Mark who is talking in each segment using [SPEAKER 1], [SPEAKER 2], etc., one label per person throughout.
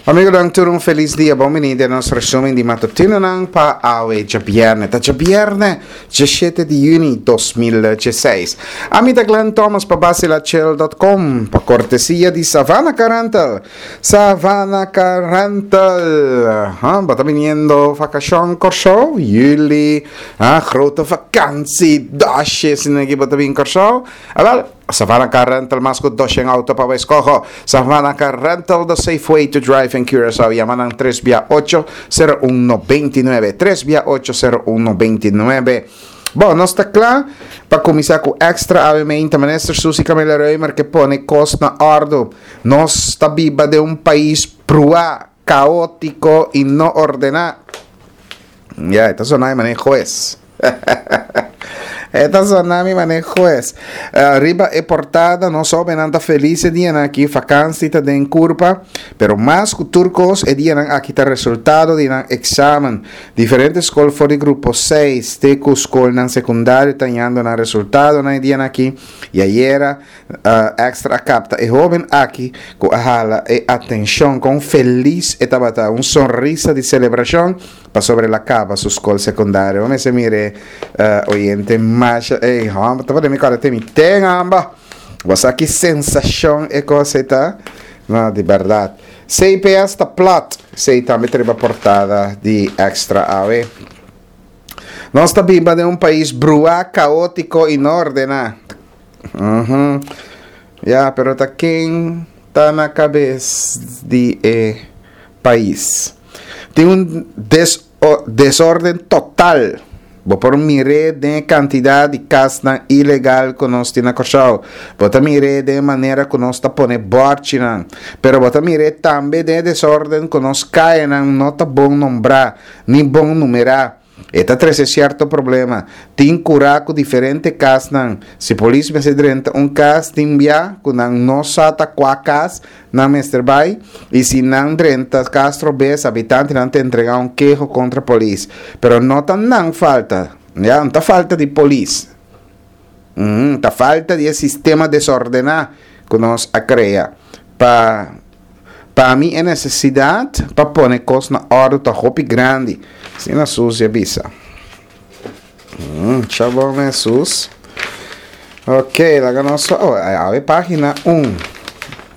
[SPEAKER 1] Amigonan tur un felis dia, bon bini den nos resumen di matutinonan pa awe djabierne. Ta djabierne, djashete di juni 2016. Ami ta Glenn Thomas pa basilachel.com pa kortesia di Savannah Car Rental. Savannah Car Rental. Ha, bo ta biniendo vakashon Kòrsou? Juli, ha, grote vakantie, dasje, sinegi bo ta bin Kòrsou? Awel, Savannah Car Rental mas ku doshen auto pa bo eskoho. Savannah Car Rental, the safe way to drive in Curaçao. Yama nan tres bia ocho, sero un 99. Tres bia ocho, sero un 99. Bon, nos ta kla pa kuminsá ku Extra awe meinta. Minister Suzy Camelia Römer ke pone kos na òrdu. Nos ta biba den un pais bruá, kaótiko i no ordená. Ya, e ta sona e manera hues. E ta sona mi manera hues. Eh, riba e portada nos hobennan ta felis e dianan aki, vakansi ta den kurpa, pero mas ku tur kos e dianan aki ta resultado di nan eksamen. Diferente skol for di grupo 6 te ku skolnan sekundario ta hañando nan resultadonan e dianan aki i ayera Extra a capta e hoben aki cu a hala e atencion con feliz e tabata, un sonrisa di celebracion pasobra el a caba su scol secundario. Bo mester mire oyente masha ey homber ta pone mi corda te mi ten amba. Bo sa ki sensacion e cos ey ta? No, di berdad. CPS ta plat, esey tambe ta riba portada di Extra awe. Nos ta biba den un pais bruá, caotico y no ordena. Uhum. Ya, pero ta ken ta na kabes di e pais? Tin un des desorden total. Bo por mir'é den e kantidat di kasnan ilegal ku nos tin na Kòrsou. Bo ta mir'é den e manera ku nos ta pone bòrchinan. Pero bo ta mir'é tambe den e desorden ku nos kayanan no ta bon nombrá ni bon numerá. E ta trese sierto problema. Tin kurá ku diferente kasnan. Si polis mester drenta un kas tin bia ku nan no sa ta kua kas nan mester bai i si nan drenta kas trobes habitantenan ta entregá un keho kontra polis. Pero no ta nan falta, ya, no ta falta di polis. Ta falta di e sistema desordená ku nos a krea pa Pa mi e nesesidat pa pone kos na òrdu ta hopi grandi, asina Susie a bisa. Cha bon mes, Sus. Ok, laga nos oh, awe página un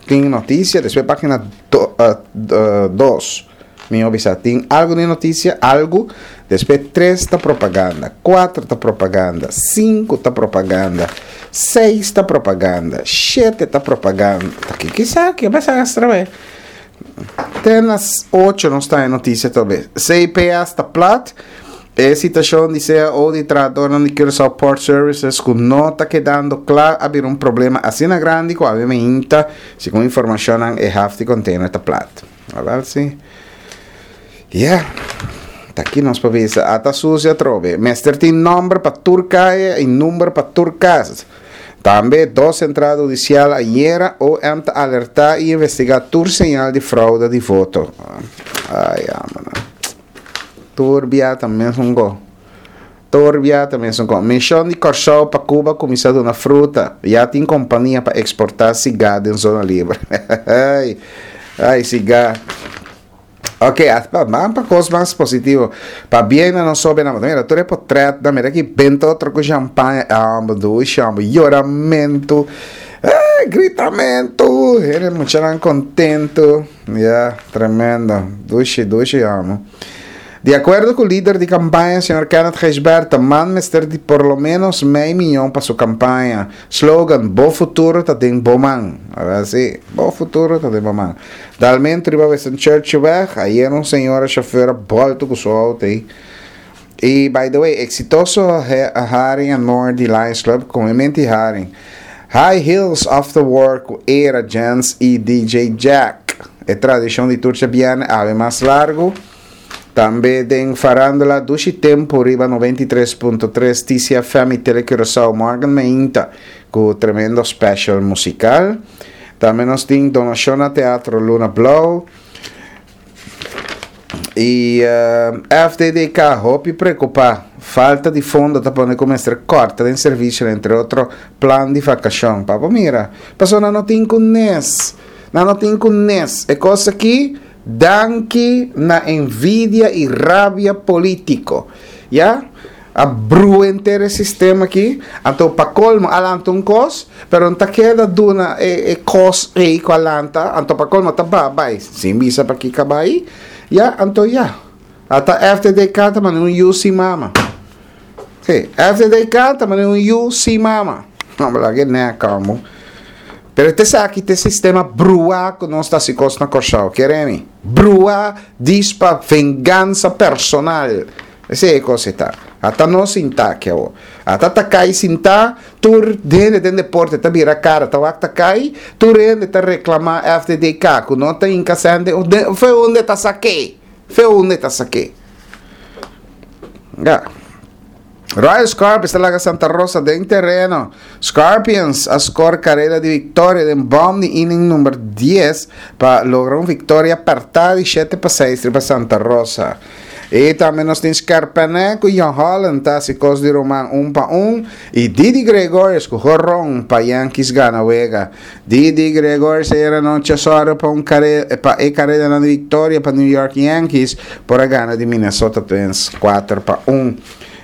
[SPEAKER 1] tin notisia, despues página do, uh, dos. Mi a bisa tin algu di notisia, algu, despues tres ta propaganda, kuater ta propaganda, sinku ta propaganda, seis ta propaganda, shete ta propaganda. Ta ki kisaki a pasa extra be? Te na ocho nos ta e notisia tobe. CPS ta plat. E situashon di CAO di trahadornan di Curaçao Port Services ku no ta kedando kla a bira un problema asina grandi ku awe meinta, segun informashonnan, e haf di container ta plat. Awel si. Yeah. Ta ki nos por bisa. Ata sucio atrobe. Mester tin nomber pa tur calle y number pa tur cas. Tambe dos entrada hudicial ayera OM ta alerta y investiga tur señal di fraude di voto. Ay, amana. Tur bia ta mesun go. Tur bia ta mesun kon. Mishon di Kòrsou pa Cuba kuminsá duna fruta. Ya tin kompania pa eksportá sigá den zona liber. Ai, sigá. Ok, ban pa kos mas positivo. Pabien na nos hóbennan. Mira, tur e potrètnan. Mira ki benta otro ku shampaña. Amba, dushi, amba. Yoramentu. Gritamentu. Hende muchanan kontentu. Ya, tremendo. Dushi, dushi, amo. Di akuerdo ku lider di kampaña señor Kenneth Gijsbertha, man mester di por lo menos mei miyon pa su kampaña. Slogan, Bo futuro ta den bo man. Awel si, bo futuro ta den bo man. Dalmentu riba Winston Churchillweg, ayer un señora shofer a bolto ku su auto ei. I by the way, eksitoso haring anor di Lions Club, komemente haring. High Heels After Work ku Era Jens i DJ Jack. E tradishon di tur djabièrnè awe mas largu. Tambe den Farándula Dushi Tempu riba 93.3 TCFM i Tele Curaçao Morgan Meinta ku tremendo special musikal. Tambe nos tin donashon na Teatro Luna Blou. I FDDK hopi preokupá. Falta di fondo ta pone ku mester kòrta den servisionan entre otro plan di vakashon. Pa bo mira, pasobra nan no tin ku nes. Nan no tin ku nes. E kos aki. Danki na envidia y rabia politico. Ya? A brua henter e sistema aki. Anto pa colmo a lanta un cos, pero no ta keda duna e e cos ey cu a lanta, anto pa colmo ta baha bay sin bisa pa kico a bay. Ya, anto ya. Ata FDDK ta manda un yu sin mama. Sí, FDDK ta manda un yu sin mama. No, pero laga e nek amo. Pero te esaki ta e sistema bruá ku nos ta hasi kos na Kòrsou, kere mi? Bruá dis pa vengansa personal. Esei e kos ei ta. Ata nos sintá aki awor. Ata ta kai sintá, tur hende den deporte ta bira kara ta wak ta kai, tur hende ta reklamá FDDK ku no ta hinka sèn den, fe unda ta sak'é? Fe unda ta sak'é? Ya. Royal Scorpions ta laga Santa Rosa den tereno. Scorpions a score careda di victoria den bom di inning number 10 pa logra un victoria perta di 7-6 riba Santa Rosa. Y tambe nos tin Skerpene cu Jan Holland ta haci cos di ruman un pa un y Didi Gregorius cu horon pa Yankees gana wega. Didi Gregorius ayera nochi a sòru pa un kare pa e karedanan di viktoria pa New York Yankees por a gana di Minnesota Twins 4-1.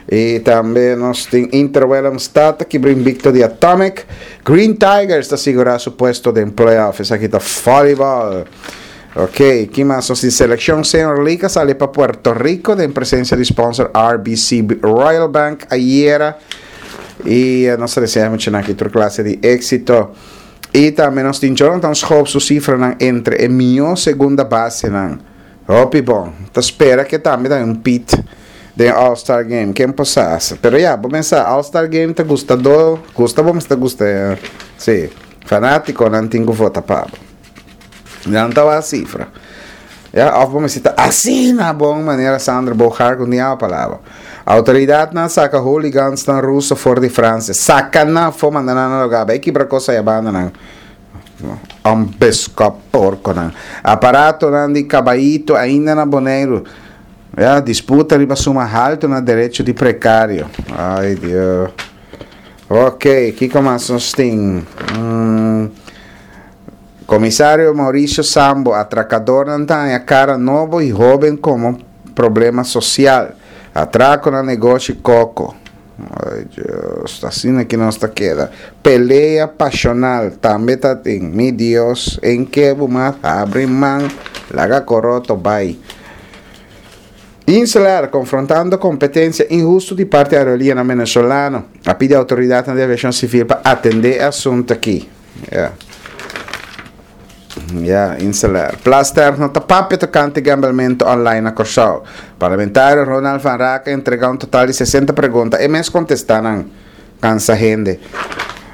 [SPEAKER 1] I tambe nos tin Inter Willemstad ta kibra invicto di Atomic. Green Tigers ta sigurá su puesto den playoff. Esaki ta volleyball. Ok, ki mas nos tin? Seleccion Senior League a sali pa Puerto Rico den presencia di sponsor RBC Royal Bank ayera. Y nos ta desea muchanan aki tur clase di éxito. Y tambe nos tin Jonathan Schoop su cifranan entre e mihó segunda basenan. Hopi bon. Ta spera ke tambe ta un pit den All Star Game. Ken por sa? Pero ya, bo mensa All Star Game ta gustadó, gusta bo mester gusta. Sí, fanátikonan tin ku vota pa bo. Nan ta wak cifra. Ya, of bo mester ta asina bon manera Sandra Boogaard ku ni awa palabra. Autoridadnan saka hooligans-nan ruso for di Francia. Saka nan afó manda nan na lugá. Bai kibra kos aya banda nan. Un beskòp porkonan. Aparatonan di kabaito ainda na Boneiru. Ya, disputa riba suma haltu na derecho di prekario. Ay Dios. Ok, kiko mas nos tin? Komisario Mauricio Sambo, Atrakadornan ta haña kara nobo i hóben komo problema sosial. Atrako na negoshi koko. Ay Dios, ta asina ki nos ta keda. Pelea pasional tambe ta tin. Mi Dios, en ke bo mas habri man, laga koroto bai. Insular, konfrontando kompetensia inhustu di parti aerolineanan venezolano, a pidi outoridatnan di aviashon sivil pa atendé e asuntu aki. Ya. Ya, Insular. Plasterk no ta papia tokante gambelmentu online na Kòrsou. Parlamentario Ronald van Raak a entregá un total di 60 pregunta. E mes kontestá nan. Kansa hende.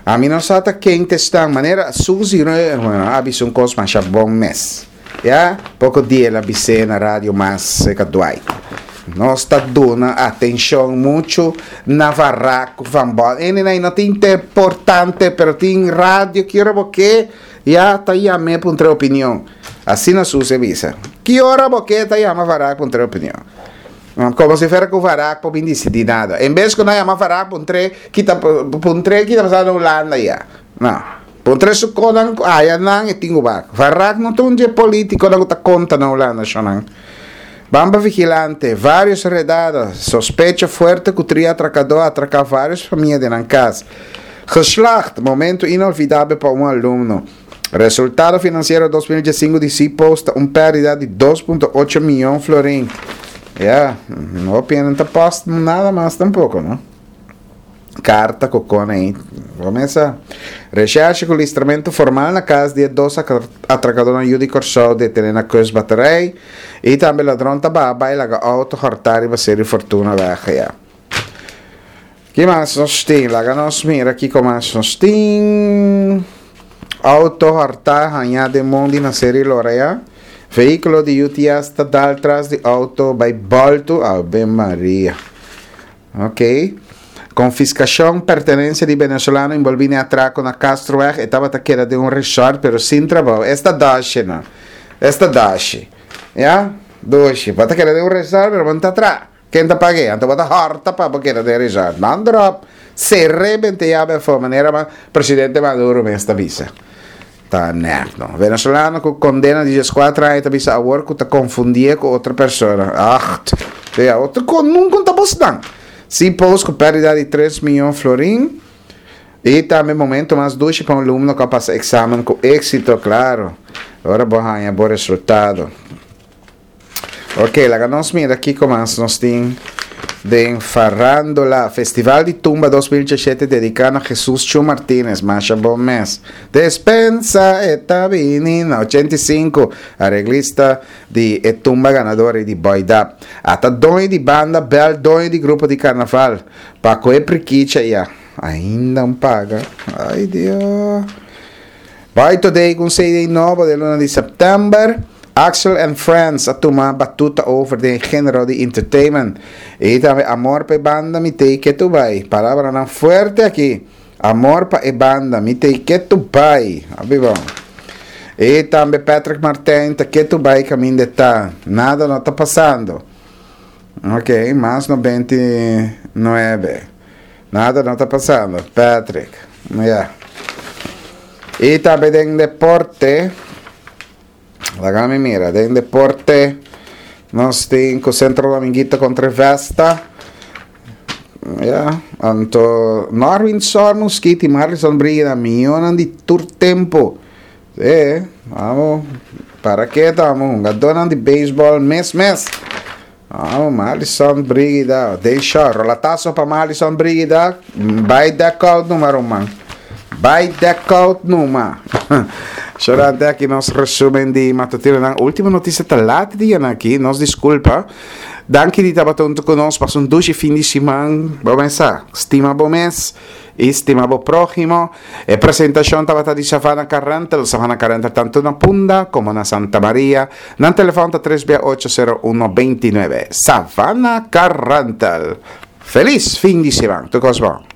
[SPEAKER 1] Ami no sa ta ken ta esnan. Manera Suzy bueno, a bisa un kos masha bon mes. Ya, poko dia el a bis'é na radio mas serka Dwight. Nos ta duna atenshon muchu na Van ku Van Bon. Ene no ta importante, pero tin radio ki ora bo ke, ya ta yam'é puntra opinion. Asina Suzy a bisa. Ki ora bo ke ta yama Van Raak puntra opinion. Komo si fuera ku Van Raak por bin disidí nada. En bes ku nan yama Van Raak puntr'é ki ta puntr'é ki ta pasando na Hulanda ya. No. Puntra su konan ku aya nan e tin ku bak. Van Raak no ta un dje politikonan ku ta konta na Hulanda shonnan. Bamba vigilante, varios redada, sospecho fuerte ku tria atrakadó a atraká varios famia den nan kas. Geslaagd, momento inolvidabel pa un alumno. Resultado finansiero 2015 di C-Post ta un pèrdida di 2.8 mion florin. Ya, hopi hende no ta post nada mas tampoko, no? Karta ku kon ei. Bo mesa. Recherche ku listramentu formal na kas di e dos atrakadónan yu di Kòrsou detené na Kustbatterij. I tambe ladron ta baha bai laga outo hòrtá riba Seri Fortuna wèg ya. Ki mas nos tin? Laga nos mira kiko mas nos tin. Outo hòrtá hañá den mondi na Seri Lora ya. Vehíkulo di UTS ta dal tras di outo bai bòltu. Ave Maria. Ok. Konfiskashon pertenensia di venezolano enbolbí den atrako na Castroweg. E tabata keda den un resort pero sin trabou. Esta doshi no. Esta doshi. Ya? Doshi. Bo ta keda den un resort pero bo no ta traha. Ken ta pag'é? Anto bo ta hòrta pa bo keda den resort. Man dròp. Ser'é bente yabe afó manera presidente Maduro mes ta bisa. Ta nèkno. Venezolano ku kondena di dieskuater aña ta bisa awor ku ta konfundié ku otro persona. Acht. Sea, otro kon nunka ta bosnan. Si post ku pèrdida di tres miyon florin. I tambe momento mas dushi pa un alumno ku a pasa eksamen ku éksito, klaro. Ora bo haña bo resultado. Ok, laga nos mira kiko mas nos tin den farándula. Festival di Tumba 2017 dediká na Jesus Chu Martinez. Masha bon mes. Despensa e ta bini na 85. Areglista di e tumba ganador di Boy Dap. Ata doño di banda bel doño di grupo di karnaval. Pa ku e prikicha ya. Ainda un paga. Ay Dios. Bai Today ku un CD nobo den luna di sèptèmber. Axel and Friends a tuma batuta over den e género di entertainment. I tambe Amor pa e banda mi tei ketu bai. Palabranan fuerte aki. Amor pa e banda mi tei ketu bai. Hopi bon. I tambe Patrick Martijn ta ketu bai kaminda e ta. Nada no ta pasando. Ok, mas 99. Nada no ta pasando, Patrick. Ya. Y tambe den deporte. Laga mi mira. Den deporte nos tin cu Centro Dominguito contra Vesta. Ya. Anto Norwin Sor Muskiti, Marlison Brigida, mionan di tur tempo. Sí, vamos. Para que estamos? Hungadornan di baseball mes mes. Oh, Marlison Brigida. Den short. Rolatazo pa Marlison Brigida. Bai deck out numa, ruman. Bai deck out numa. Shorante aki nos resumen di matutinonan. Ultimo noticia ta laat dia na aki. Nos disculpa. Danki di tabata hunto cu nos. Pasa un dushi fin di siman. Bo mesa. Stima bo mes. Y stima bo prójimo. E presentacion tabata di Savannah Car Rental. Savannah Car Rental tanto na Punda como na Santa Maria. Nan telefon ta tres bia ocho sero uno beintinuebe. Savannah Car Rental. Feliz fin di siman. Tur cos bon.